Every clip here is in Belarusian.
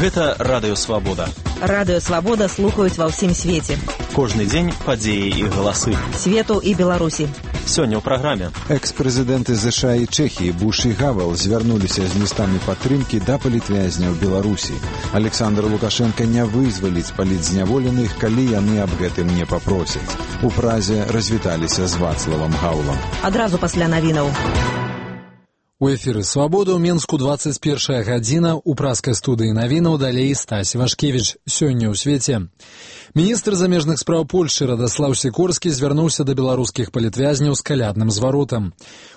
Гэта Радыё Свабода. Радыё Свабода слухаюць ва ўсім свеце. Кожны дзень падзеі і галасы. Свету і Беларусі. Сёння ў праграме. Экс-прэзідэнты США і Чэхіі Буш і Гавел звярнуліся з лістамі падтрымкі да палітвязняў Беларусі. Александр Лукашенко не вызваліць палітзняволеных, калі яны аб гэтым не папросяць. У Празе развіталіся з Вацлавам Гаўлам. Адразу пасля навінаў. У эфіры «Свабода» ў Менску 21 гадзіна. У праскай студыі навінаў далей Стась Вашкевіч. Сёння ў свеце. Міністр замежных спраў Польшчы Радаслаў Сікорскі звярнуўся да беларускіх палітвязняў з калядным зваротам.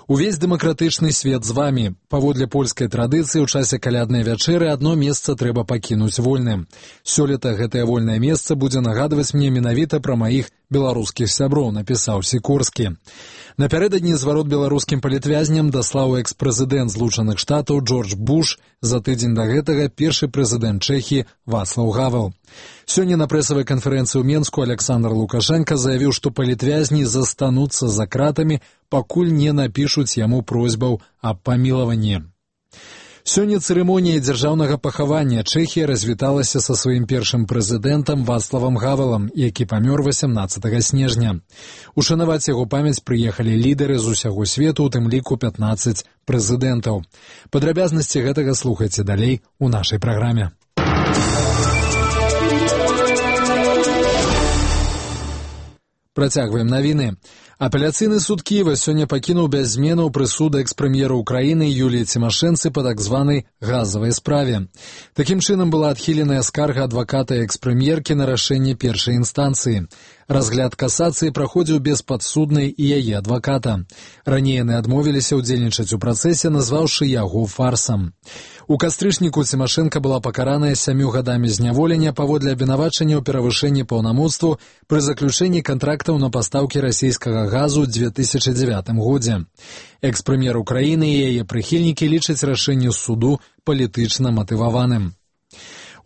Увесь дэмакратычны свет з вамі. Паводле польскай традыцыі ў часе каляднай вячэры адно месца трэба пакінуць вольным. Сёлета гэтае вольнае месца будзе нагадваць мне менавіта пра маіх беларускіх сяброў, напісаў Сікорскі. Напярэдадні зварот беларускім палітвязням даслаў экс-прэзідэнт Злучаных Штатаў Джордж Буш, за тыдзень да гэтага першы прэзідэнт Чэхіі Вацлаў Гавел. Сёння на прэсавай канферэнцыі ў Менску Александр Лукашенко заявіў, што палітвязні застануцца за кратамі, пакуль не напішуць яму просьбаў аб памілаванні. Сёння цырымонія дзяржаўнага пахавання Чэхія развіталася са сваім першым прэзідэнтам Вацлавам Гавелам, які памёр 18 снежня. Ушанаваць яго памяць прыехалі лідары з усяго свету, у тым ліку 15 прэзідэнтаў. Падрабязнасці гэтага слухайце далей у нашай праграме. Працягваем навіны. Апеляцыйны суд Кіева сёння пакінуў без зменаў прысуд экс-прэм'ера Украіны Юліі Цімашэнцы па так званай газавай справе. Такім чынам была адхіленая скарга адваката экс-прэм'еркі на рашэнне першай інстанцыі. Разгляд касацыі праходзіў без падсуднай і яе адваката. Раней яны адмовіліся ўдзельнічаць у працэсе, назваўшы яго фарсам. У кастрычніку Цімашэнка была пакараная 7 гадамі зняволення паводле абвінавачання ў перавышэнні паўнамоцтву пры заключэнні кантрактаў на пастаўкі расійскага газу ў 2009 годзе. Экс-прэм'ер Украіны і яе прыхільнікі лічаць рашэнне суду палітычна матываваным.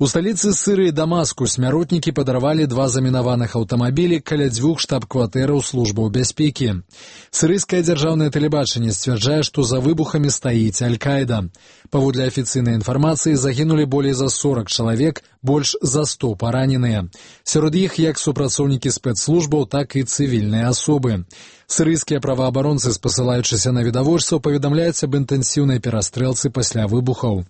У сталіцы Сірыі Дамаску смяротнікі падарвалі 2 замінаваных аўтамабілі каля 2 штаб-кватэраў службаў бяспекі. Сірыйскае дзяржаўнае тэлебачанне сцвярджае, што за выбухамі стаіць Аль-Каіда. Паводле афіцыйнай інфармацыі загінулі болей за 40 чалавек, больш за 100 параненыя. Сярод іх як супрацоўнікі спецслужбаў, так і цывільныя асобы. Сірыйскія праваабаронцы, спасылаючыся на відавочцаў, паведамляюць аб інтэнсіўнай перастрэлцы пасля выбухаў.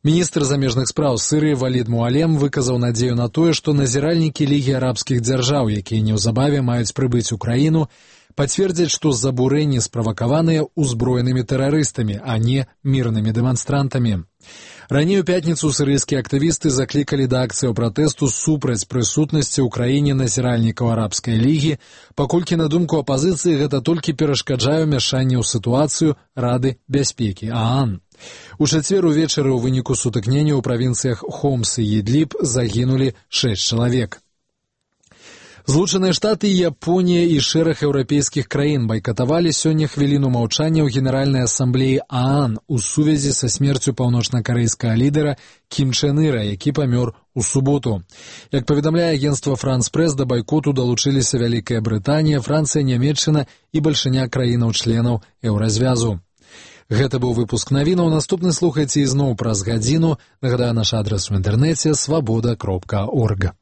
Міністр замежных спраў Сірыі Валід Муалем выказаў надзею на тое, што назіральнікі Лігі арабскіх дзяржаў, якія неўзабаве маюць прыбыць у краіну, пацвердзяць, што забурэнні справакаваныя ўзброенымі тэрарыстамі, а не мірнымі дэманстрантамі. Раней у пятніцу сірыйскія актывісты заклікалі да акцыяў пратэсту супраць прысутнасці ў краіне назіральнікаў арабскай лігі, паколькі, на думку апазіцыі, гэта толькі перашкаджае ўмяшанне ў сітуацыю Рады бяспекі ААН. У чацвер увечары ў выніку сутыкнення ў правінцыях Хомс і Ідліб загінулі 6 чалавек. Злучаныя Штаты, Японія і шэраг еўрапейскіх краін байкатавалі сёння хвіліну маўчання ў Генеральнай асамблеі ААН у сувязі са смерцю паўночнакарэйскага лідара Кім Чен Іра, які памёр у суботу. Як паведамляе агенцтва Франс Прэс, да байкоту далучыліся Вялікая Брытанія, Францыя, Нямецчына і бальшыня краінаў-членаў еўразвязу. Гэта быў выпуск навінаў. Наступны слухайце ізноў праз гадзіну. Нагадаю, наш адрас у інтэрнэце свабода.орг.